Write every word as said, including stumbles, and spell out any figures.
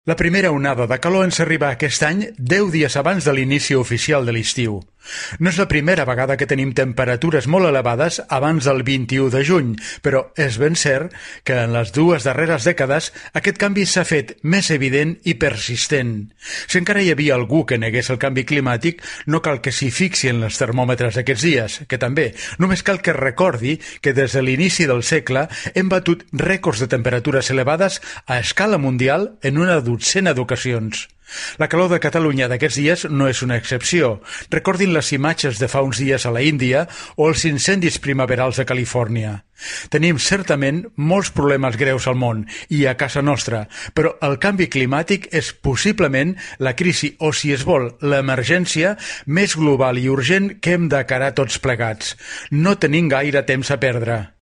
La primera onada de calor ens arriba aquest any deu dies abans de l'inici oficial de l'estiu. No és la primera vegada que tenim temperatures molt elevades abans del vint-i-u de juny, però és ben cert que en les dues darreres dècades aquest canvi s'ha fet més evident i persistent. Si encara hi havia algú que negués el canvi climàtic, no cal que s'hi fixi en els termòmetres d'aquests dies, que també. Només cal que recordi que des de l'inici del segle hem batut rècords de temperatures elevades a escala mundial en una dotzena d'ocasions. La calor de Catalunya d'aquests dies no és una excepció. Recordin les imatges de fa uns dies a la Índia o els incendis primaverals de Califòrnia. Tenim certament molts problemes greus al món i a casa nostra, però el canvi climàtic és possiblement la crisi o, si es vol, l'emergència més global i urgent que hem d'encarar tots plegats. No tenim gaire temps a perdre.